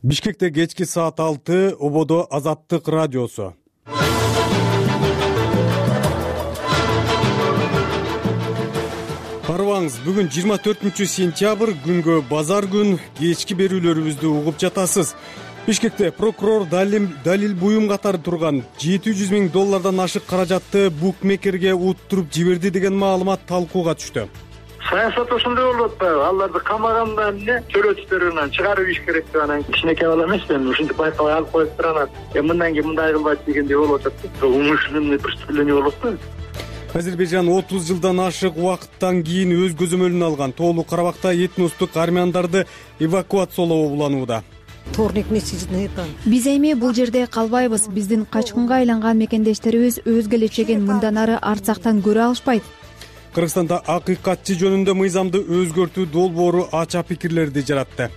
Бишкекте кечки саат 6 ободо Азаттык радиосу. Карыбаңыз, бүгүн 24-сентябрь күнгө базар күн. Кечки берүүлөрүбүздү угуп жатасыз. Бишкекте прокурор далил буюм катары турган $700,000 ашык каражатты букмекерге уттуруп жиберди деген маалымат талкууга түштү. Саясат ошондой болуп атпайбы? Аларды камагандан эмне төлөөчүлөрүнөн чыгарып ийиш керек деп анан кичинекей бала эмес да, ушинтип байкабай алып коюп турганат. Мындан кийин мындай кылбайт дегендей болуп атат. Умышленный преступление болуп атпайбы? Азербайжан 30 жылдан ашык убакыттан кийин өз көзөмөлүнө алган Тоолуу Карабакта этностук армяндарды эвакуациялоо уланууда. Биз эми бул жерде калбайбыз. Биздин качкынга айланган мекендештерибиз өз келечегин мындан ары арцактан көрө алышпайт. Кыргызстанда акыйкатчы жөнүндө мыйзамды өзгөртүү долбоору ача пикирлерди жаратты.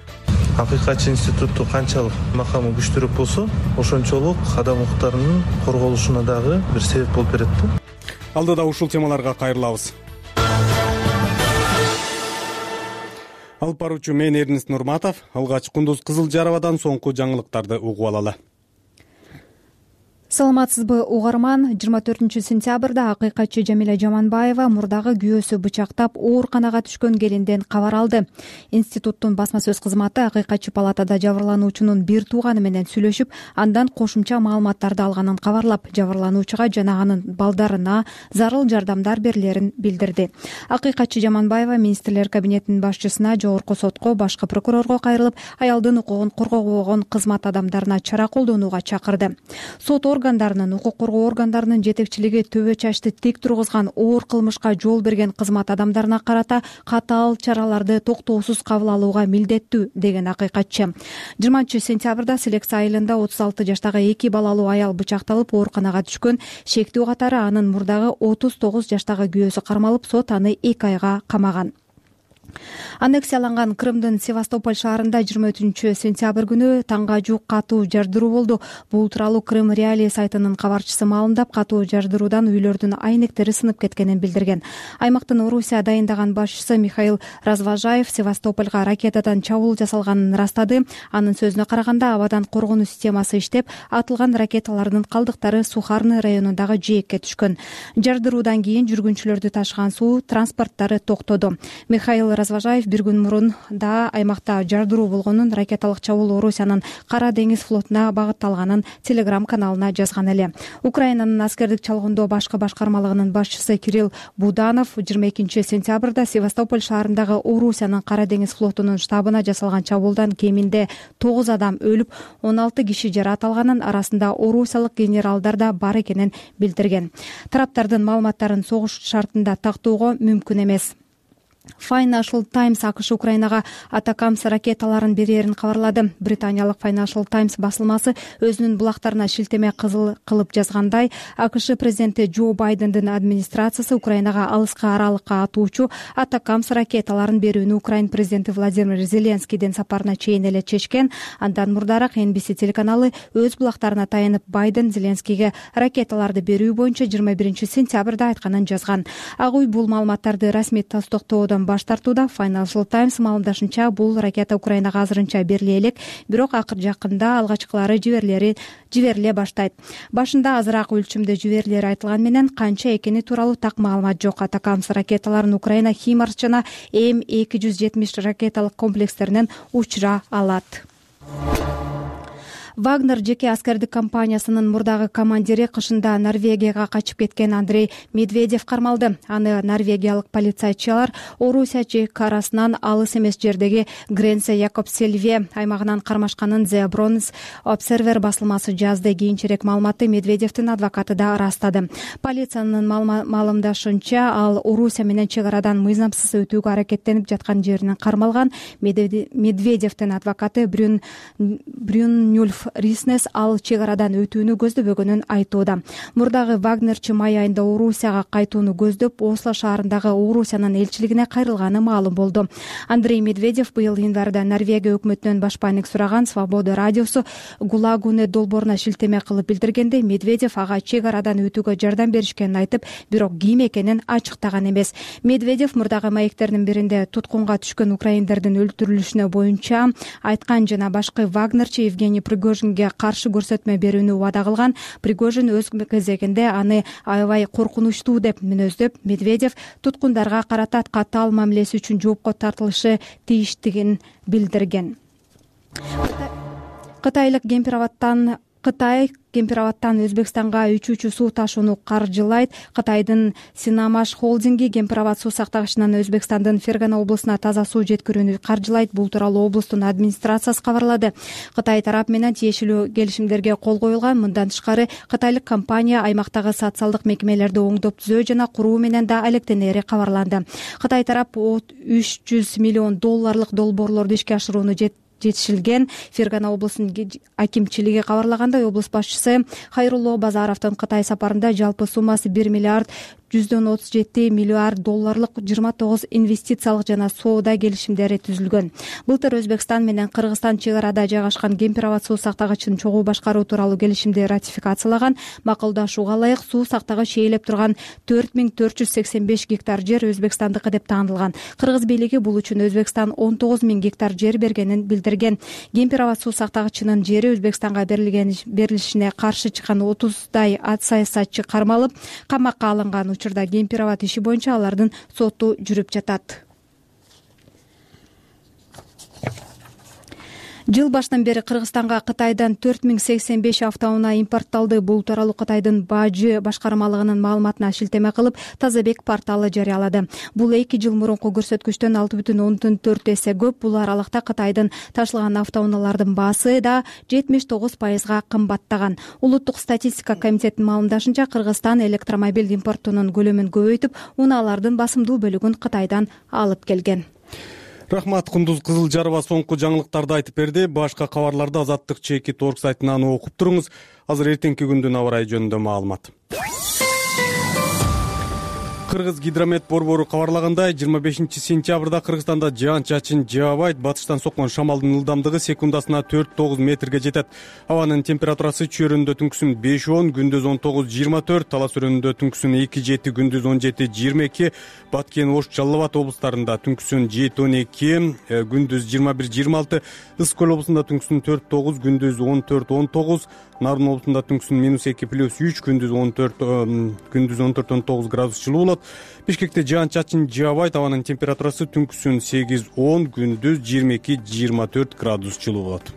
Акыйкатчы институтту канчалык макамы күчтүүрөөк болсо, ошончолук адам укуктарынын корголушуна дагы бир себеп болуп берет да. Алдыда ушул темаларга кайрылабыз. Алып баруучу мен Эрнест Нурматов. Алгач Кундуз Кызылжаровадан соңку жаңылыктарды угуп алалы. Саламатсызбы угарман? 24-сентябрда акыйкатчы Жамиля Жаманбаева мурдагы күйөөсү бычактап ооруканага түшкөн келинден кабар алды. Институттун басма сөз кызматы акыйкатчы палатада жабырлануучунун бир тууганы менен сүйлөшүп, андан кошумча маалыматтарды алганын кабарлап, жабырлануучуга жана анын балдарына зарыл жардамдар берилерин билдирди. Акыйкатчы Жаманбаева министрлер кабинетинин башчысына, жогорку сотко, башкы прокурорго кайрылып, аялдын укугун коргогон кызмат адамдарына чара колдонууга чакырды. Сот органдарынын, укук коргоо органдарынын жетекчилиги төбө чачты тик тургузган, оор кылмышка жол берген кызмат адамдарына карата катаал чараларды токтоосуз кабыл алууга милдеттүү, деген акыйкатчы. 20-сентябрда Селекция айылында 36 жаштагы 2 балалуу аял бычакталып ооруканага түшкөн. Шектүү катары анын мурдагы 39 жаштагы күйөөсү кармалып, сот аны 2 айга камаган. Аннексияланган Крымдын Севастополь шаарында 23-сентябрь күнү таңга жуук катуу жардыруу болду. Бул тууралуу Крым Реалии сайтынын кабарчысы маалымдап, катуу жардыруудан үйлөрдүн айнектери сынып кеткенин билдирген. Аймактын Орусия дайындаган башчысы Михаил Разважаев Севастопольго ракетадан чабуул жасалганын ырастады. Анын сөзүнө караганда, абадан коргонуу системасы иштеп, атылган ракеталардын калдыктары Сухарный районундагы жээкке түшкөн. Жардыруудан кийин жүргүнчүлөрдү ташыган суу транспорттары токтоду. Михаил Разважаев бир күн мурун да аймакта жардыруу болгонун, ракеталык чабуул Орусиянын Кара деңиз флотуна багытталганын Telegram каналына жазган эле. Украинанын аскердик чалгындоо башкы башкармалыгынын башчысы Кирилл Буданов 22-сентябрда Севастополь шаарындагы Орусиянын Кара деңиз флотунун штабына жасалган чабуулдан кеминде 9 адам өлүп, 16 киши жаракат алганын, арасында орусиялык генералдар да бар экенин билдирген. Тараптардын маалыматтарын согуш шартында тактоого мүмкүн эмес. Financial Times АКШ Украинага Атакамс ракеталарын берерин кабарлады. Британиялык Financial Times басылмасы өзүнүн булактарына шилтеме кылып жазгандай, АКШ президенти Джо Байдендин администрациясы Украинага алыскы аралыкка атуучу Атакамс ракеталарын берүүнү Украин президенти Владимир Зеленскийдин сапарына чейин эле чечкен. Андан мурдараак NBC телеканалы өз булактарына таянып, Байден Зеленскийге ракеталарды берүү боюнча 21-сентябрда айтканын жазган. Ак үй бул маалыматтарды расмий тастыктоодон баш тартууда. Financial Times маалымдашынча, бул ракета Украинага азырынча бериле элек, бирок акыр жакында алгачкылары жибериле баштайт. Башында азыраак өлчөмдө жиберилери айтылган менен, канча экени тууралуу так маалымат жок. Атакамс ракеталарын Украина Химарс жана М270 ракеталык комплекстеринен учура алат. Вагнер жеке аскердик компаниясынын мурдагы командири кышында Норвегияга качып кеткен Андрей Медведев кармалды. Аны норвегиялык полицейчилар Орусия чекарасынан алыс эмес жердеги Гренсе Якобсельве аймагынан кармашканын The Bronze Observer басылмасы жазды. Кийинчерээк маалыматты Медведевдин адвокаты да ырастады. Полициянын маалымдашынча, ал Орусия менен чегарадан мыйзамсыз өтүүгө аракеттенип жаткан жеринен кармалган. Медведевдин адвокаты Брюнюльф Риснес ал чек арадан өтүүнү көздөбөгөнүн айтууда. Мурдагы вагнерчи май айында Орусияга кайтууну көздөп Осло шаарындагы Орусиянын элчилигине кайрылганы маалым болду. Андрей Медведев быйыл январда Норвегия өкмөтүнөн башпаандык сураган Свобода радиосу Гулагуне долбооруна шилтеме кылып билдиргенде, Медведев ага чек арадан өтүүгө жардам беришкенин айтып, бирок ким экенин ачыктаган эмес. Медведев мурдагы маектердин биринде туткунга түшкөн украиндердин өлтүрүлүшүнө боюнча айткан жана башкы вагнерчи Евгений Пригожинге каршы көрсөтмө берүүнү убада кылган. Пригожин өз кезегинде аны аябай коркунучтуу деп мүнөздөп, Медведев туткундарга карата катаал мамилеси үчүн жоопко тартылышы тийиштигин билдирген. Кытай Кемпирабадтан Өзбекстанга үчүүчү суу ташууну каржылайт. Кытайдын Синамаш холдинги Кемпирабад суу сактагычынан Өзбекстандын Фергана облусуна таза суу жеткирүүнү каржылайт. Бул тууралуу облустун администрациясы кабарлады. Кытай тарап менен тиешелүү келишимдерге кол коюлган. Мындан тышкары Кытайлык компания аймактагы социалдык мекемелерди оңдоп түзөө жана куруу менен да алектенери кабарланды. Кытай тарап 300 миллион долларлык долбоорлорду ишке ашырууну жетишилген. Фергана облусунун акимчилиги кабарлагандай, облус башчысы Хайрулло Базаровдун Кытай сапарында жалпы суммасы 1 миллиард 137 миллиард долларлык 29 инвестициялык жана соода келишимдери түзүлгөн. Былтыр Өзбекстан менен Кыргызстан чек арада жайгашкан Кемпирабад суу сактагычын чогуу башкаруу тууралуу келишимди ратификациялаган. Макулдашууга ылайык суу сактагыч ээлеп турган 4485 гектар жер Өзбекстандыкы деп таанылган. Кыргыз бийлиги бул үчүн Өзбекстан 19 000 гектар жер бергенин билдирген. Кемпирабад суу сактагычынын жери Өзбекстанга берилишине каршы чыккан 30дай саясатчы кармалып, камакка алынган. Учурда Кемпирабад иши боюнча алардын соту жүрүп жатат. Жыл башынан бери Кыргызстанга Кытайдан 4085 автоунаа импортталды. Бул тууралуу Кытайдын Бажы башкармалыгынын маалыматына шилтеме кылып, Тазабек порталы жарыялады. Бул 2 жыл мурунку көрсөткүчтөн 6,4 эсе көп. Бул аралыкта Кытайдын ташылган автоунаалардын баасы да 79%га кымбаттаган. Улуттук статистика комитетинин маалымдашынча, Кыргызстан электромобиль импортунун көлөмүн көбөйтүп, унаалардын басымдуу бөлүгүн Кытайдан алып келген. Рахмат, Кундуз Кызылжарова соңку жаңылыктарды айтып берди. Башка кабарларды Азаттык чекит орг сайтынан окуп туруңуз. Азыр эртеңки күндүн аба ырайы жөнүндө маалымат. Кыргыз гидромет борбору кабарлагандай, 25 сентябрда Кыргызстанда жаан-чачын жаабайт. Батыштан соккон шамалдын ылдамдыгы секундасына 4-9 метрге жетет. Абанын температурасы чөйрөндө түнкүсүн 5-10, күндүз 19-24, талас өрөөнүндө түнкүсүн 2-7, күндүз 17-22, Баткен, Ош, Жалал Абад облустарында түнкүсүн 7-12, күндүз 21-26, Ысык Көл облусунда түнкүсүн 4-9, күндүз 14-19, Нарын облусунда түнкүсүн -2+3, күндүз 14-19 градус жылуу болот. Бишкекте жаан-чачын жаабайт, абанын температурасы түнкүсүн 8-10, күндүз 22-24 градус жылуу болот.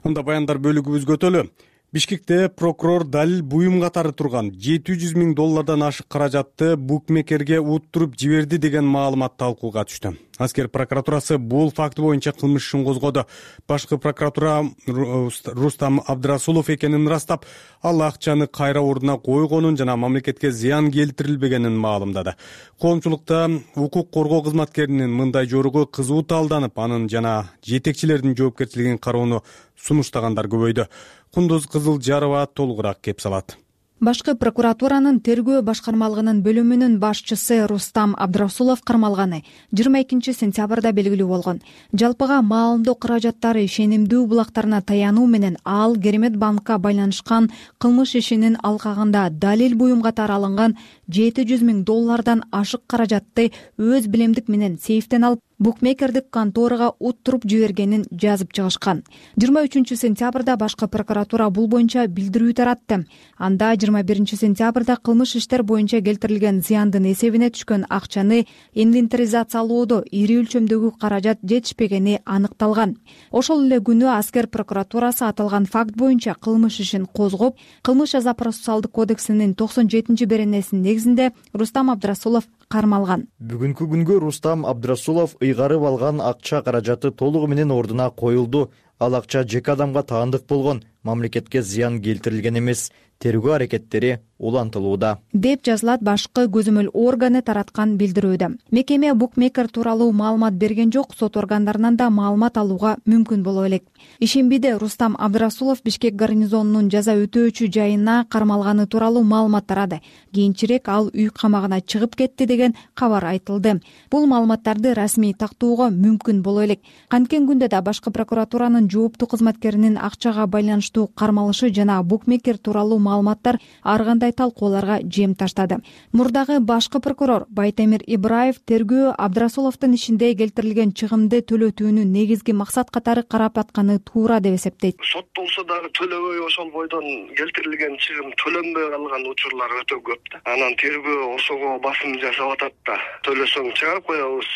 Анда баяндар бөлүгүбүзгө өтөлү. Бишкекте прокурор далил буюм катары турган 700 000 доллардан ашык каражатты букмекерге уттуруп жиберди деген маалымат талкууга түштү. Аскер прокуратурасы бул факт боюнча кылмыш ишин козгоду. Башкы прокуратура Рустам Абдрасулов экенин ырастап, ал акчаны кайра ордуна койгонун жана мамлекетке зыян келтирилбегенин маалымдады. Коомчулукта укук коргоо кызматкеринин мындай жоругу кызуу талданып, анын жана жетекчилердин жоопкерчилигин кароону сунуштагандар көбөйдү. Кундуз Кызылжарова толугураак кеп салат. Башкы прокуратуранын тергөө башкармалыгынын бөлүмүнүн башчысы Рустам Абдрасулов кармалганы 22 сентябрда белгилүү болгон. Жалпыга маалымдоо каражаттары ишенимдүү булактарына таянуу менен ал Керемет банкка байланышкан кылмыш ишинин алкагында далил буюм катары алынган 700 000 доллардан ашык каражатты өз билемдик менен сейфтен алып, букмекердик конторага уттуруп жибергенин жазып чыгышкан. 23 сентябрда башкы прокуратура бул боюнча билдирүү таратты. Анда 21 сентябрда кылмыш иштер боюнча келтирилген зыяндын эсебине түшкөн акчаны инвентаризациялоодо ири өлчөмдөгү каражат жетишпегени аныкталган. Ошол эле күнү аскер прокуратурасы аталган факт боюнча кылмыш ишин козгоп, кылмыш жаза процессуалдык кодексинин 97-беренесинин негизинде Рустам Абдрасулов кармалган. Бүгүнкү күнгө Рустам Абдрасулов ыйгарып алган акча каражаты толугу менен ордуна коюлду. Ал акча жеке адамга таандык болгон, мамлекетке зыян келтирилген эмес. Тергөө аракеттери улантылууда деп жазылат башкы көзөмөл органы тараткан билдирүүдө. Мекеме букмекер тууралуу маалымат берген жок, сот органдарынан да маалымат алууга мүмкүн боло элек. Ишембиде Рустам Абдрасулов Бишкек гарнизонунун жаза өтөөчү жайына кармалганы тууралуу маалымат тарады. Кийинчерээк ал үй камагына чыгып кетти деген кабар айтылды. Бул маалыматтарды расмий тактоого мүмкүн боло элек. Канткен күндө да башкы прокуратуранын жооптуу кызматкеринин акчага байланыштуу кармалышы жана букмекер тууралуу маалыматтар ар кандай талкууларга жем таштады. Мурдагы башкы прокурор Байтемир Ибраев тергөө Абдрасуловдун ишинде келтирилген чыгымды төлөтүүнү негизги максат катары карап атканы туура деп эсептейт. Соттолсо дагы төлөбөй ошол бойдон келтирилген чыгым төлөнбөй калган учурлар өтө көп да. Анан тергөө ошого басым жасап атат да. Төлөсөң чыгарып коебуз,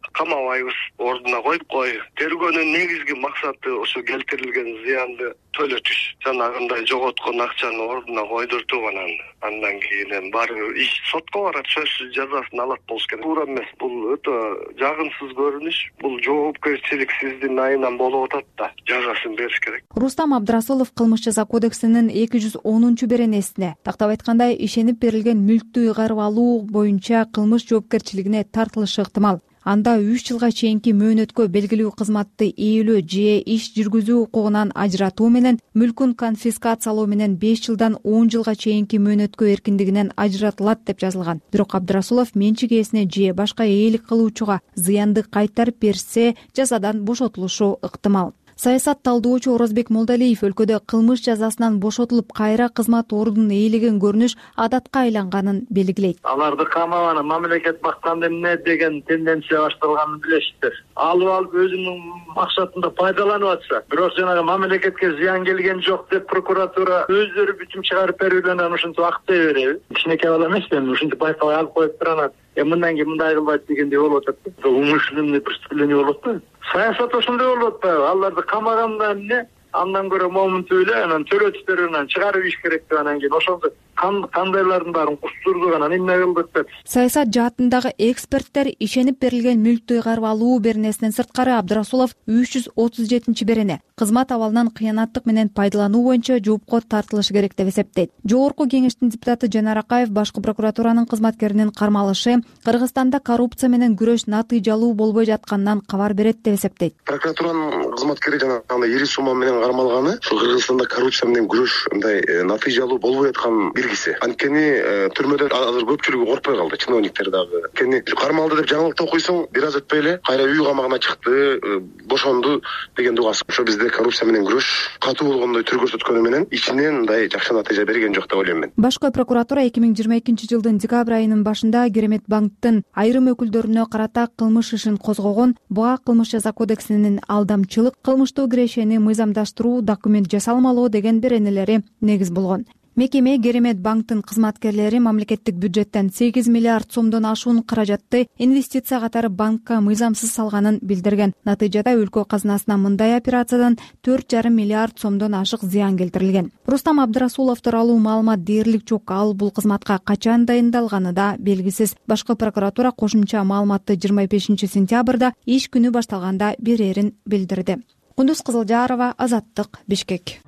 камабайбыз, ордуна коюп кой. Тергөөнүн негизги максаты ошо келтирилген зыянды төлөтүш. Жанагындай жоготкон акчаны ордуна койдуртуп андан кийин баары иш сотко барат, сөзсүз жазасын алат болуш керек. Туура эмес, бул өтө жагымсыз көрүнүш. Бул жоопкерчиликсиздин айынан болуп атат да. Жазасын бериш керек. Рустам Абдрасулов кылмыш жаза кодексинин 210-беренесине тактап айтканда ишенип берилген мүлктү ыйгарып алуу боюнча кылмыш жоопкерчилигине тартылышы ыктымал. Анда 3 жылга чейинки мөөнөткө белгилүү кызматты ээлөө же иш жүргүзүү укугунан ажыратуу менен мүлкүн конфискациялоо менен 5 жылдан 10 жылга чейинки мөөнөткө эркиндигинен ажыратылат деп жазылган. Бирок Абдрасулов менчик ээсине же башка ээлик кылуучуга зыянды кайтарып берсе, жазадан бошотулушу ыктымал. Саясат талдоочу Орозбек Молдалиев өлкөдө кылмыш жазасынан бошотулуп кайра кызмат ордунун ээлеген көрүнүш адатка айланганын белгилейт. Аларды камаганы мамлекет бакканда эмне деген тенденция башталганын билесиздер. Алып өзүнүн максатында пайдаланып атса, бирок жанагы мамлекетке зыян келген жок деп прокуратура өздөрү бүтүм чыгарып берүүдөн ушинтип актай береби? Кичинекей бала эмесмин, ушинтип байкабай алып коюп туранат. Мындан кийин мындай кылбайт дегендей болуп атат. Умышленный преступление болот да. Саясат ошондой болуп атпайбы? Аларды камаганда эмне? Андан көрө момунту эле анан төлөтүштөрүнөн чыгарып иш керек деп анан кийин ошондо кандайлардын баарын кустурдук анан эмне кылдык деп. Саясат жаатындагы эксперттер ишенип берилген мүлктү ыйгарып алуу беренесинен сырткары Абдрасулов 337-берене кызмат абалынан кыянаттык менен пайдалануу боюнча жоопко тартылышы керек деп эсептейт. Жогорку кеңештин депутаты Жанар Акаев башкы прокуратуранын кызматкеринин кармалышы Кыргызстанда коррупция менен күрөш натыйжалуу болбой жатканынан кабар берет деп эсептейт. Прокуратуранын кызматкери жанагындай ири сумма менен кармалганы ушул Кыргызстанда коррупция менен күрөш мындай натыйжалуу болбой аткан биргиси. Анткени түрмөдө азыр көпчүлүгү коркпой калды, чиновниктер дагы. Анткени кармалды деп жаңылыкты окуйсуң, бир аз өтпөй эле кайра үй камагына чыкты, бошонду деген угасы. Ошо бизде коррупция менен күрөш катуу болгондой түр көрсөткөнү менен ичинен мындай жакшы натыйжа берген жок деп ойлойм мен. Башкы прокуратура 2022-жылдын декабрь айынын башында Керемет банктын айрым өкүлдөрүнө карата кылмыш ишин козгогон. Буга кылмыш жаза кодексинин алдамчылык, кылмыштуу кирешени мыйзамдаштыруу, документ жасалмалоо деген беренелери негиз болгон. Мекеме Керемет банктын кызматкерлери мамлекеттик бюджеттен 8 миллиард сомдон ашуун каражатты инвестиция катары банкка мыйзамсыз салганын билдирген. Натыйжада өлкө казынасына мындай операциядан 4,5 миллиард сомдон ашык зыян келтирилген. Рустам Абдрасулов тууралуу маалымат дээрлик жок. Ал бул кызматка качан дайындалганы да белгисиз. Башкы прокуратура кошумча маалыматты 25-сентябрда иш күнү башталганда берерин билдирди. Кундуз Кызылжарова, Азаттык, Бишкек.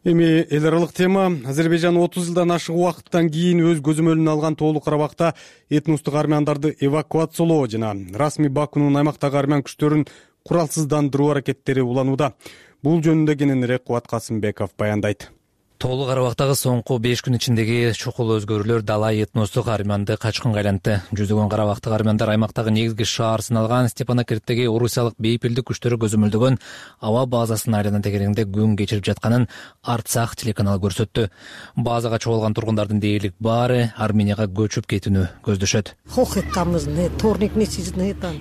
Эми эл аралык тема. Азербайжан 30 жылдан ашык убакыттан кийин өз көзөмөлүнө алган Тоолуу Карабакта этностук армяндарды эвакуациялоо жана расмий Бакунун аймактагы армян күчтөрүн куралсыздандыруу аракеттери уланууда. Бул жөнүндө кененирээк Кубат Касымбеков баяндайт. Тоолуу Карабактагы соңку 5 күн ичиндеги чукул өзгөрүүлөр далай этностук армянды качкынга айлантты. Жүздөгөн карабактык армяндар аймактагы негизги шаар сыналган Степанакерттеги орусиялык бейпилдик күчтөрү көзөмөлдөгөн аба базасынын айлана тегерегинде күн кечирип жатканын Арцах телеканалы көрсөттү. Базага чогулган тургундардын дээрлик баары Арменияга көчүп кетүүнү көздөшөт.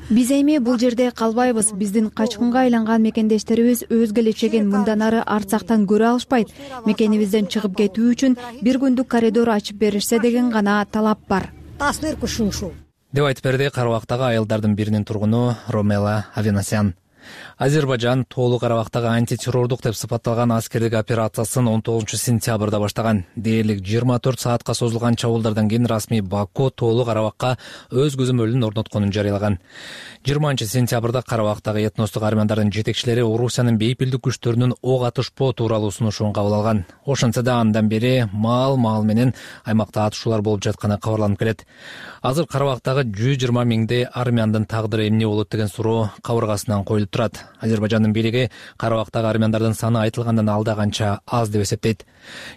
Биз эми бул жерде калбайбыз. Биздин качкынга айланган мекендештерибиз өз келечегин мындан ары Арцахтан көрө алышпайт. Мекенибизден чыгып кетүү үчүн бир күндүк коридор ачып беришсе деген гана талап бар. Деп айтып берди Карабактагы айылдардын биринин тургуну Ромела Авенасян. Азербайжан Тоолуу Карабактагы антитеррордук деп сыпатталган аскердик операциясын 19-сентябрда баштаган. Дээрлик 24 саатка созулган чабуулдардан кийин расмий Баку Тоолуу Карабакка өз көзөмөлүн орнотконун жарыялаган. 20-сентябрда Карабактагы этностук армяндардын жетекчилери Орусиянын бейпилдик күчтөрүнүн ок атышпоо тууралуу сунушун кабыл алган. Ошентсе да андан бери маал менен аймакта атышуулар болуп жатканы кабарланып келет. Азыр Карабактагы 120 миңдей армяндын тагдыры эмне болот деген суроо кабыргасынан коюлуп турат. Азербайжандын бийлиги Карабактагы армяндардын саны айтылгандан алда канча аз деп эсептейт.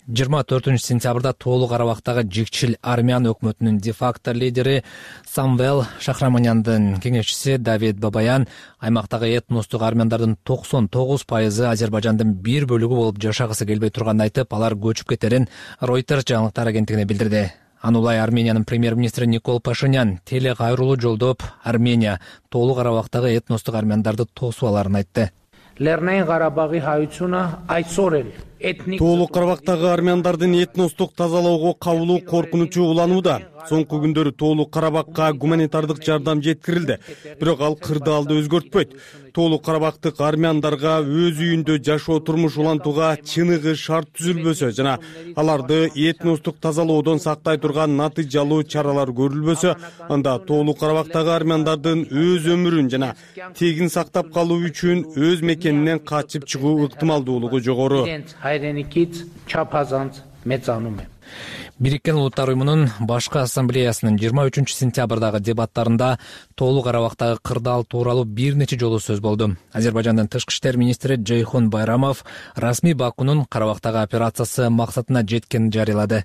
24-сентябрда Тоолуу Карабактагы жикчил армян өкмөтүнүн де-факто лидери Самвел Шахраманяндын кеңешчиси Давид Бабаян аймактагы этностук армяндардын 99% Азербайжандын бир бөлүгү болуп жашагысы келбей турганын айтып, алар көчүп кетерин Reuters жаңылыктар агенттигине билдирди. Анулай Армениянын премьер-министри Никол Пашинян теле кайрылуу жолдоп, Армения Тоолуу Карабактагы этностук армяндарды тосуп аларын айтты. Тоолуу Карабактагы армяндардын этностук тазалоого кабылуу коркунучу уланууда. Соңку күндөрү Тоолуу Карабакка гуманитардык жардам жеткирилди, бирок ал кырдаалды өзгөртпөйт. Тоолуу Карабактык армяндарга өз үйүндө жашоо турмуш улантууга чыныгы шарт түзүлбөсө жана аларды этностук тазалоодон сактай турган натыйжалуу чаралар көрүлбөсө, анда Тоолуу Карабактагы армяндардын өз өмүрүн жана тегин сактап калуу үчүн өз мекенинен качып чыгуу ыктымалдуулугу жогору. Бириккен Улуттар уюмунун башкы ассамблеясынын 23-сентябрдагы дебаттарында Тоолуу Карабактагы кырдаал тууралуу бир нече жолу сөз болду. Азербайжандын тышкы иштер министри Джейхун Байрамов расмий Бакунун Карабактагы операциясы максатына жеткенин жарыялады.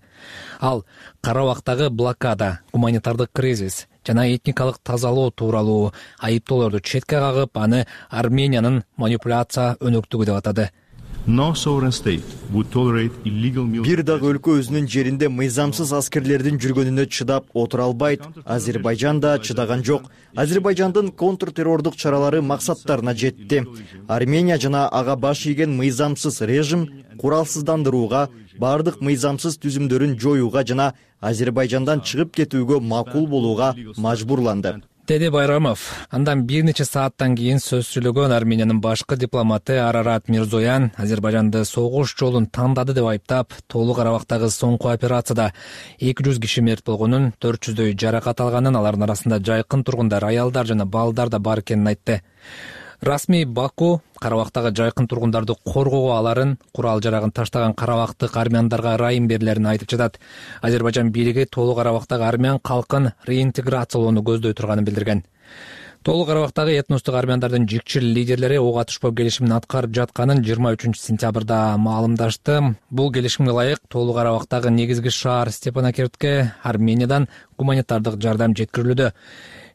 Ал Карабактагы блокада, гуманитардык кризис жана этникалык тазалоо тууралуу айыптоолорду четке кагып, аны Армениянын манипуляция өнөктүгү деп атады. Бир дагы өлкө өзүнүн жеринде мыйзамсыз аскерлердин жүргөнүнө чыдап отура албайт. Азербайжан да чыдаган жок. Азербайжандын контртеррордук чаралары максаттарына жетти. Армения жана ага баш ийген мыйзамсыз режим куралсыздандырууга, бардык мыйзамсыз түзүмдөрүн жоюуга жана Азербайжандан чыгып кетүүгө макул болууга мажбурланды, деди Байрамов. Андан бир нече сааттан кийин сөз сүйлөгөн Армениянын башкы дипломаты Арарат Мирзоян Азербайжанды согуш жолун тандады деп айыптап, Тоолуу Карабактагы соңку операцияда 200 киши мерт болгонун, 400дөй жаракат алганын, алардын арасында жайкын тургундар, аялдар жана балдар да бар экенин айтты. Расмий Баку Карабактагы жайкын тургундарды коргоого аларын, курал жарагын таштаган карабактык армяндарга ырайым берилерин айтып жатат. Азербайжан бийлиги Тоолуу Карабактагы армян калкын реинтеграциялоону көздөй турганын билдирген. Тоолуу Карабактагы этностук армяндардын жикчил лидерлери ок атышпоо келишимин аткарып жатканын 23-сентябрда маалымдашты. Бул келишимге ылайык Тоолуу Карабактагы негизги шаар Степанакертке Армениядан гуманитардык жардам жеткирилүүдө.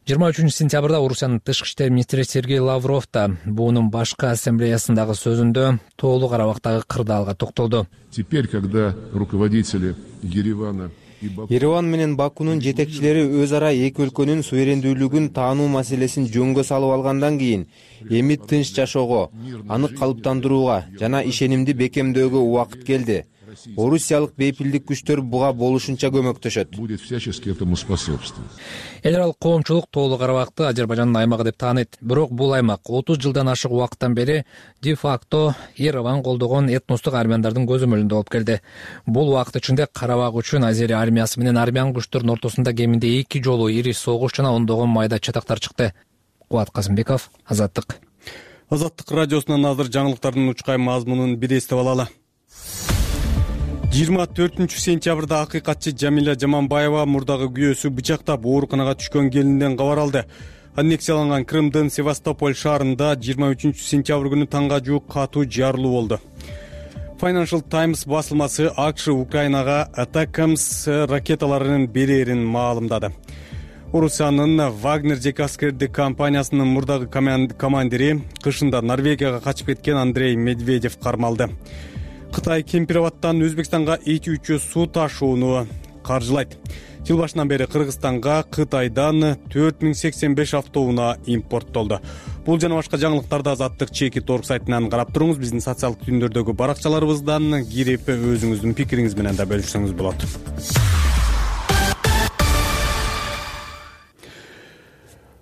23-сентябрда Орусиянын тышкы иштер министри Сергей Лавров да буунун башкы ассамблеясындагы сөзүндө Тоолуу Карабактагы кырдаалга токтолду. Теперь, когда руководители Ереван менен Бакунун жетекчилери өз ара эки өлкөнүн суверендүүлүгүн таануу маселесин жөнгө салып алгандан кийин эми тынч жашоого, анык калыптандырууга жана ишенимди бекемдөөгө убакыт келди. Орусиялык бейпилдик күчтөр буга болушунча көмөктөшөт. Эл аралык коомчулук Тоолуу Карабакты Азербайжандын аймагы деп тааныйт. Бирок бул аймак 30 жылдан ашык убакыттан бери де-факто Ереван колдогон этностук армяндардын көзөмөлүндө болуп келди. Бул убакыт ичинде Карабак үчүн Азерия армиясы менен армян күчтөрүнүн ортосунда кеминде 2 жолу ири согуш жана ондогон майда чатактар чыкты. Кубат Касымбеков, Азаттык. Азаттык радиосунан азыр жаңылыктардын учкай мазмунун бир эстеп алалы. 24-сентябрда акыйкатчы Жамиля Жаманбаева мурдагы күйөөсү бычактап ооруканага түшкөн келинден кабар алды. Аннексияланган Крымдын Севастополь шаарында 23-сентябрь күнү таңга жуук катуу жарылуу болду. Financial Times басылмасы АКШ Украинага Атакамс ракеталарынын берерин маалымдады. Орусиянын Вагнер жеке аскердик компаниясынын мурдагы командири кышында Норвегияга качып кеткен Андрей Медведев кармалды. Кытай Кемпироваттан Өзбекстанга эки үчө суу ташууну каржылайт. Жыл башынан бери Кыргызстанга Кытайдан 4085 автоунаа импорттолду. Бул жана башка жаңылыктарды Азаттык чекит орг сайтынан карап туруңуз. Биздин социалдык түндөрдөгү баракчаларыбыздан кирип өзүңүздүн пикириңиз менен да бөлүшсөңүз болот.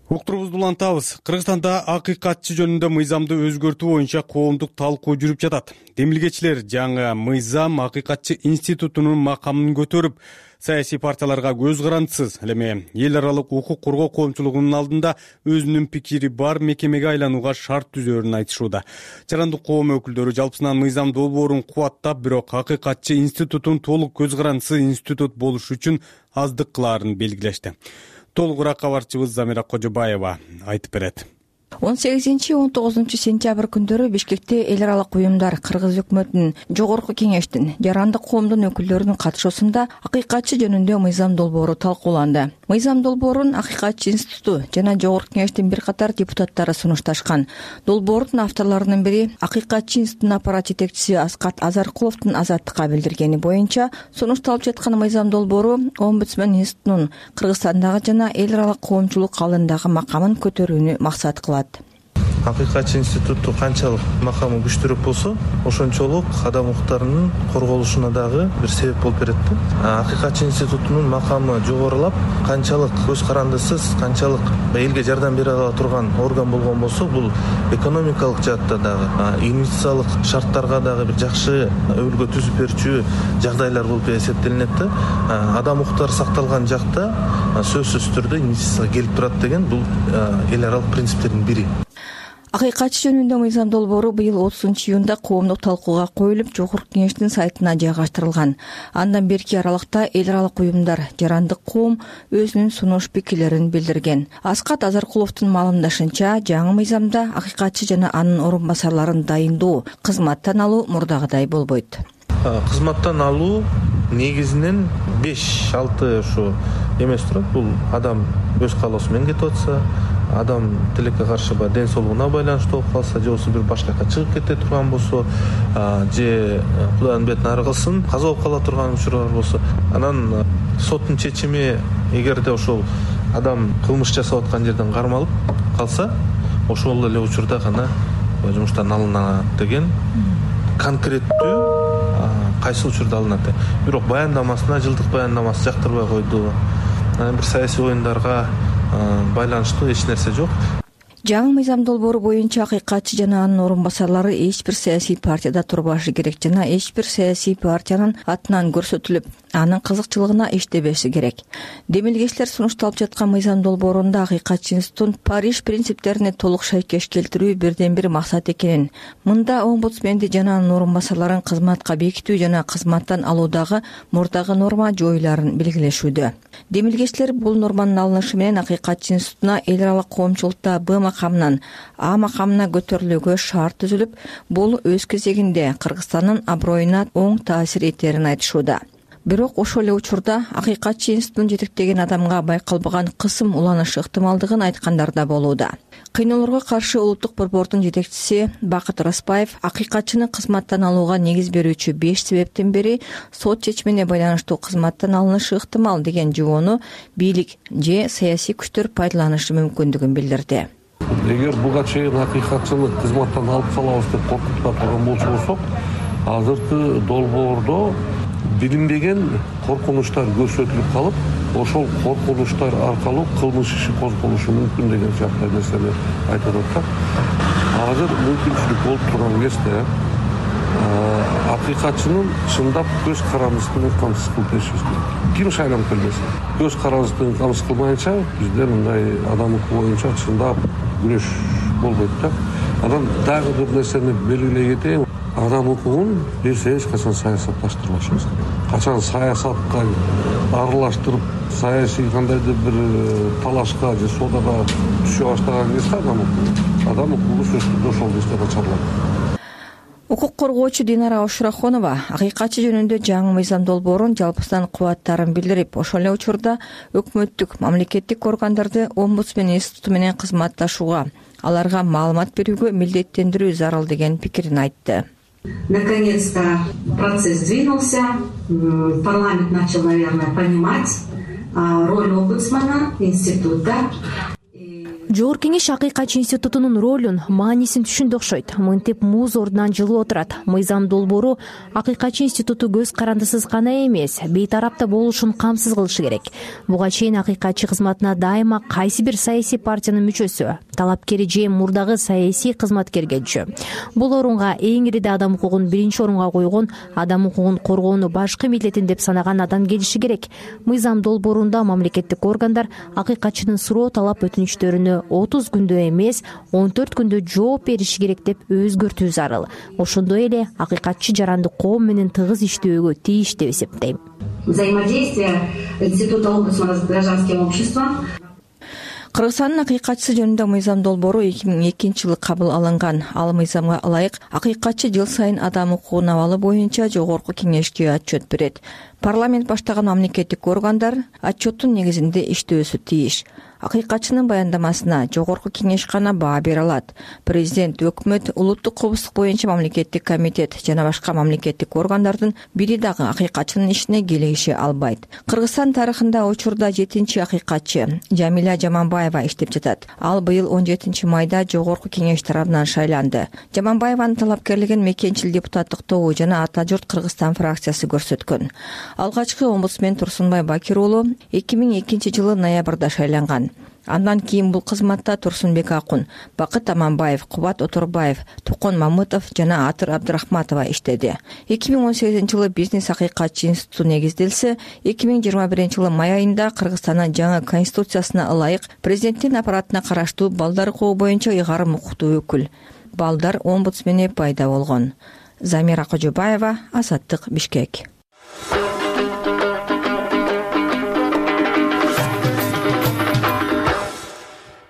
Уктуруубузду улантабыз. Кыргызстанда акыйкатчы жөнүндө мыйзамды өзгөртүү боюнча коомдук талкуу жүрүп жатат. Демилгечилер жаңы мыйзам акыйкатчы институтунун макамын көтөрүп, саясий партияларга көз карандысыз, ал эми эл аралык укук коргоо коомчулугунун алдында өзүнүн пикири бар мекемеге айланууга шарт түзөөрүн айтышууда. Жарандык коом өкүлдөрү жалпысынан мыйзам долбоорун кубаттап, бирок акыйкатчы институтун толук көз карандысыз институт болуш үчүн аздык кылаарын белгилешти. Толугураак кабарчыбыз Замира Кожобаева айтып берет. 18-19 сентябрь күндөрү Бишкекте эл аралык уюмдар, Кыргыз өкмөтүнүн, Жогорку кеңештин, жарандык коомдун өкүлдөрүнүн катышуусунда акыйкатчы жөнүндө мыйзам долбоору талкууланды. Мыйзам долбоорун Акыйкатчы институту жана Жогорку кеңештин бир катар депутаттары сунушташкан. Долбоордун авторлорунун бири Акыйкатчы институтунун аппарат жетекчиси Аскат Азаркуловдун Азаттыкка билдиргени боюнча, сунушталып жаткан мыйзам долбоору Омбудсмен институтунун Кыргызстандагы жана эл аралык коомчулук алдындагы макамын көтөрүүнү максат кылат. Акыйкатчы институтту канчалык макамы күчтүүрөөк болсо, ошончолук адам укуктарынын корголушуна дагы бир себеп болуп берет да. Акыйкатчы институтунун макамы жогорулап, канчалык көз карандысыз, канчалык элге жардам бере ала турган орган болгон болсо, бул экономикалык жаатта дагы, инвестициялык шарттарга дагы бир жакшы өбөлгө түзүп берүүчү жагдайлар болуп эсептелинет да. Адам укуктары сакталган жакта сөзсүз түрдө инвестиция келип турат деген бул эл аралык принциптердин бири. Акыйкатчы жөнүндө мыйзам долбоору быйыл 30-июнда коомдук талкууга коюлуп, Жогорку кеңештин сайтына жайгаштырылган. Андан берки аралыкта эл аралык уюмдар, жарандык коом өзүнүн сунуш пикирлерин билдирген. Аскат Азаркуловдун маалымдашынча, жаңы мыйзамда акыйкатчы жана анын орун басарларын дайындоо, кызматтан алуу мурдагыдай болбойт. Кызматтан алуу негизинен 5-6 ушу эмес турат. Бул адам өз каалоосу менен кетип атса, адам тилекке каршы ден соолугуна байланыштуу болуп калса, же болбосо бир башка жака чыгып кете турган болсо, же Кудайдын бетин ары кылсын, каза болуп кала турган учурлар болсо, анан соттун чечими эгерде ошол адам кылмыш жасап аткан жерден кармалып калса, ошол эле учурда гана жумуштан алынат деген конкреттүү кайсы учурда алынат. Бирок баяндамасына, жылдык баяндамасы жактырбай койду. Бир саясий оюндарга байланыштуу эч нерсе жок. Жаңы мыйзам долбоору боюнча акыйкатчы жана анын орун басарлары эч бир саясий партияда турбашы керек жана эч бир саясий партиянын атынан көрсөтүлүп, анын кызыкчылыгына иштебеши керек. Демилгечилер сунушталып жаткан мыйзам долбоорунда Акыйкатчы институтун Париж принциптерине толук шайкеш келтирүү бирден бир максат экенин, мында омбудсменди жана анын орун басарларын кызматка бекитүү жана кызматтан алуудагы мурдагы норма жоюларын белгилешүүдө. Демилгечилер бул норманын алынышы менен Акыйкатчы институтуна эл аралык коомчулукта Б макамынан А макамына көтөрүлүүгө шарт түзүлүп, бул өз кезегинде Кыргызстандын аброюна оң таасир этерин айтышууда. Бирок ошол эле учурда Акыйкатчы институтун жетектеген адамга байкалбаган кысым уланышы ыктымалдыгын айткандар да болууда. Кыйноолорго каршы улуттук борбордун жетекчиси Бакыт Распаев акыйкатчыны кызматтан алууга негиз берүүчү 5 себептен бири сот чечимине байланыштуу кызматтан алынышы ыктымал деген жобону бийлик же саясий күчтөр пайдаланышы мүмкүндүгүн билдирди. Эгер буга чейин акыйкатчыны кызматтан алып салабыз деп коркутуп турган болсок, азыркы долбоордо билинбеген коркунучтар көрсөтүлүп калып, ошол коркунучтар аркылуу кылмыш иши козголушу мүмкүн деген сыяктуу нерсени айтып атат. Азыр мүмкүнчүлүк болуп турган кезде акыйкатчынын чындап көз карандысы менен камсыз кылып беришибиз керек. Ким шайланып келбесин, көз карандысы менен камсыз кылмайынча бизде мындай адам укугу боюнча чындап күрөш болбойт да. Анан дагы бир нерсени белгилей кетейин. Адам укугун биз эч качан саясатташтырбашыбыз керек. Качан саясатка аралаштырып, саясий кандайдыр бир талашка же соодага түшө баштаган кезде адам укугу сөзсүз ошол кезде начарланат. Укук коргоочу Динара Ошурахонова акыйкатчы жөнүндө жаңы мыйзам долбоорун жалпысынан кубаттарын билдирип, ошол эле учурда өкмөттүк, мамлекеттик органдарды омбудсмен институту менен кызматташууга, аларга маалымат берүүгө милдеттендирүү зарыл деген пикирин айтты. Наконец-то процесс двинулся, парламент начал, наверное, понимать роль омбудсмена, института. Жогорку кеңеш Акыйкатчы институтунун ролун, маанисин түшүндү окшойт. Мынтип муз ордунан жылып отурат. Мыйзам долбоору Акыйкатчы институту көз карандысыз гана эмес, бейтарапта болушун камсыз кылышы керек. Буга чейин акыйкатчы кызматына дайыма кайсы бир саясий партиянын мүчөсү, талапкери же мурдагы саясий кызматкер келчү. Бул орунга эң ириде адам укугун биринчи орунга койгон, адам укугун коргоону башкы милдетин деп санаган адам келиши керек. Мыйзам долбоорунда мамлекеттик органдар акыйкатчынын суроо талап өтүнүчтөрүнө 30 күндө эмес 14 күндө жооп бериши керек деп өзгөртүү зарыл. Ошондой эле акыйкатчы жарандык коом менен тыгыз иштөөгө тийиш деп эсептейм. Взаимодействие Института омбудсмана с гражданским обществом. Кыргызстандын акыйкатчысы жөнүндө мыйзам долбоору 2002-жылы кабыл алынган. Ал мыйзамга ылайык акыйкатчы жыл сайын адам укугун абалы боюнча жогорку кеңешке отчет берет. Парламент баштаган мамлекеттик органдар отчеттун негизинде иштөөсү тийиш. Акыйкатчынын баяндамасына жогорку кеңеш гана баа бере алат. Президент, өкмөт, улуттук коопсуздук боюнча мамлекеттик комитет жана башка мамлекеттик органдардын бири дагы акыйкатчынын ишине келиши албайт. Кыргызстан тарыхында учурда 7-чи акыйкатчы Жамиля Жаманбаева иштеп жатат. Ал быйыл 17-майда жогорку кеңеш тарабынан шайланды. Жаманбаеванын талапкерлигин мекенчил депутаттык тобу жана Ата журт Кыргызстан фракциясы көрсөткөн. Алгачкы омбудсмен Турсунбай Бакир уулу 2002-жылы ноябрда шайланган. Андан кийин бул кызматта Турсунбек Акун, Бакыт Аманбаев, Кубат Оторбаев, Тукон Мамытов жана Атыр Абдырахматова иштеди. 2018-жылы бизнес акыйкатчы институту негизделсе, 2021-жылы май айында Кыргызстандын жаңы конституциясына ылайык президенттин аппаратына караштуу балдар укугу боюнча ыйгарым укуктуу өкүл балдар омбудсмени пайда болгон. Замира Кожобаева, Азаттык, Бишкек.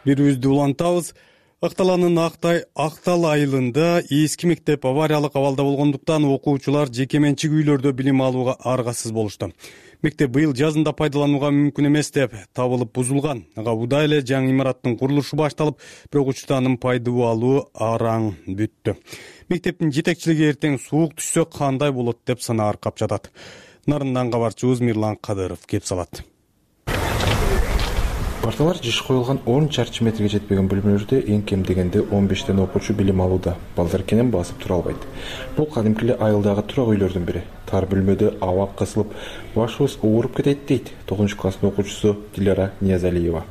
Бирибизди улантабыз. Акталанын Актал айылында эски мектеп авариялык абалда болгондуктан окуучулар жеке менчик үйлөрдө билим алууга аргасыз болушту. Мектеп быйыл жазында пайдаланууга мүмкүн эмес деп табылып бузулган. Ага удай эле жаңы имараттын курулушу башталып, бирок учурда анын пайдалануу алуу араң бүттү. Мектептин жетекчилиги эртең суук түшсө кандай болот деп санаа аркап жатат. Нарындан кабарчыбыз Мирлан Кадыров кеп салат. Парталар жыш коюлган 10 чарчы метрге жетпеген бөлмөлөрдө эң кем дегенде 15 окуучу билим алууда. Балдар кенен басып тура албайт. Бул кадимки эле айылдагы турак үйлөрдүн бири. Тар бөлмөдө аба кысылып, башыбыз ооруп кетет дейт 9-класстын окуучусу Дилара Ниязалиева.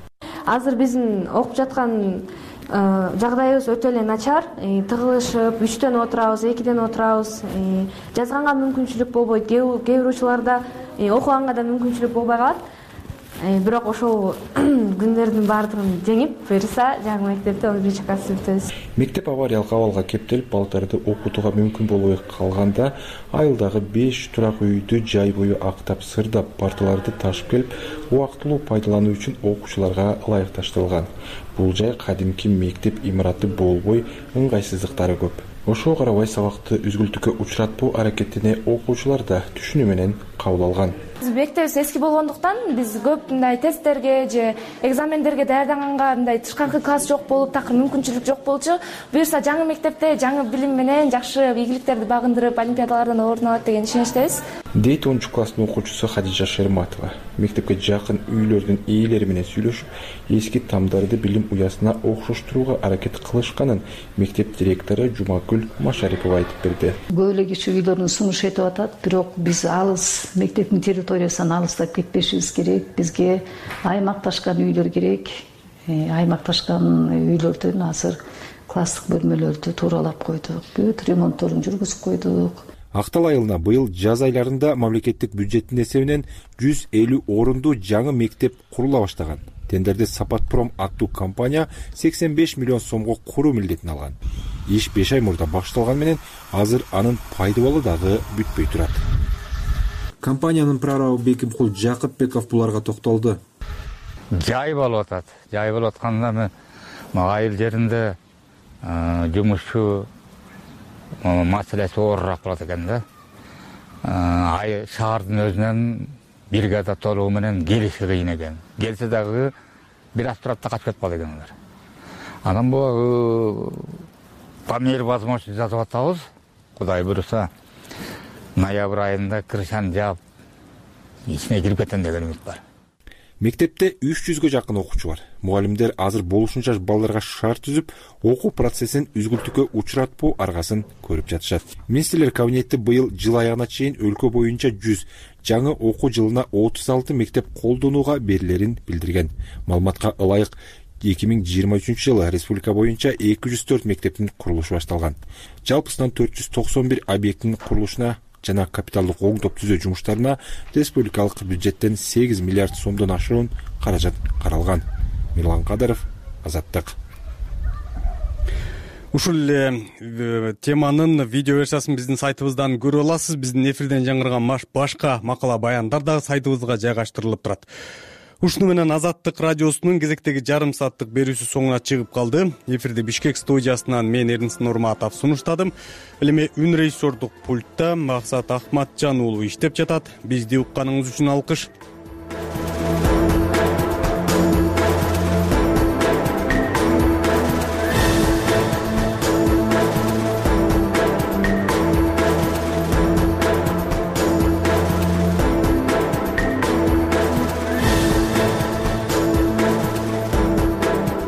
Азыр биздин окуп жаткан жагдайыбыз өтө эле начар. Тыгылышып, 3дөн отурабыз, 2ден отурабыз. Жазганга мүмкүнчүлүк болбойт. Кээ бир учурларда окуганга да мүмкүнчүлүк болбой калат. Бирок ошол күндөрдүн баардыгын жеңип, буюрса жаңы мектепте 11-класс бүтөбүз. Мектеп авариялык абалга кептелип, балдарды окутууга мүмкүн болбой калганда, айылдагы 5 турак үйдү жай бою актап, сырдап, парталарды ташып келип, убактылуу пайдалануу үчүн окуучуларга ылайыкташтырылган. Бул жай кадимки мектеп имараты болбой, ыңгайсыздыктары көп. Ошого карабай сабакты үзгүлтүккө учуратпоо аракетине окуучулар да түшүнүү менен кабыл алган. Мектебибиз эски болгондуктан биз көп мындай тесттерге же экзамендерге даярданганга мындай тышкаркы класс жок болуп, такыр мүмкүнчүлүк жок болчу. Буюрса жаңы мектепте жаңы билим менен жакшы ийгиликтерди багындырып, олимпиадалардан орун алат деген ишеничтебиз. Дейт 10-класстын окуучусу Хадижа Шерматова. Мектепке жакын үйлөрдүн ээлери менен сүйлөшүп, эски тамдарды билим уясына окшоштурууга аракет кылышканын мектеп директору Жумакүл Машарипова айтып берди. Көп эле киши үйлөрүн сунуш этип атат, бирок биз алыс мектептин территориясынан алыстап кетпешибиз керек. Бизге аймакташкан үйлөр керек. Аймакташкан үйлөрдөн азыр класстык бөлмөлөрдү тууралап койдук. Бүт ремонтторун жүргүзүп койдук. Актал айылына быйыл жаз айларында мамлекеттик бюджеттин эсебинен 150 орунду жаңы мектеп курула баштаган. Тендерде Сапатпром аттуу компания 85 миллион сомго куруу милдетин алган. Иш 5 ай мурда башталган менен азыр анын пайдалуу дагы бүтпөй турат. Компаниянын прорабы Бекимкул Жакыпбеков буларга токтолду. Жай болуп атат. Жай болуп атканда мен айыл жеринде жумушчу маселеси оорураак болот экен да. Шаардын өзүнөн бригада толугу менен келиши кыйын экен. Келсе дагы бир аз турат да качып кетип калат экен алар. Анан бул по мере возможности жазып атабыз. Кудай буйруса ноябрь айында крышаны жаап ичине кирип кетем деген үмүт бар. Мектепте 300гө жакын окуучу бар. Мугалимдер азыр болушунча балдарга шарт түзүп, окуу процессин үзгүлтүккө учуратпоо аргасын көрүп жатышат. Министрлер кабинети быйыл жыл аягына чейин өлкө боюнча 100, жаңы окуу жылына 36 мектеп колдонууга берилерин билдирген. Маалыматка ылайык 2023-жылы республика боюнча 204 мектептин курулушу башталган. Жалпысынан 491 объекттин курулушуна жана капиталдык оңдоп түзөө жумуштарына республикалык бюджеттен 8 миллиард сомдон ашуун каражат каралган. Мирлан Кадыров, Азаттык. Ушул эле теманын видео версиясын биздин сайтыбыздан көрө аласыз. Биздин эфирден жаңырган башка макала баяндар дагы сайтыбызга жайгаштырылып турат. Ушуну менен Азаттык радиосунун кезектеги жарым сааттык берүүсү соңуна чыгып калды. Эфирди Бишкек студиясынан мен Эрнис Нурматов сунуштадым. Ал эми үн режиссердук пультта Максат Ахматжан уулу иштеп жатат. Бизди укканыңыз үчүн алкыш.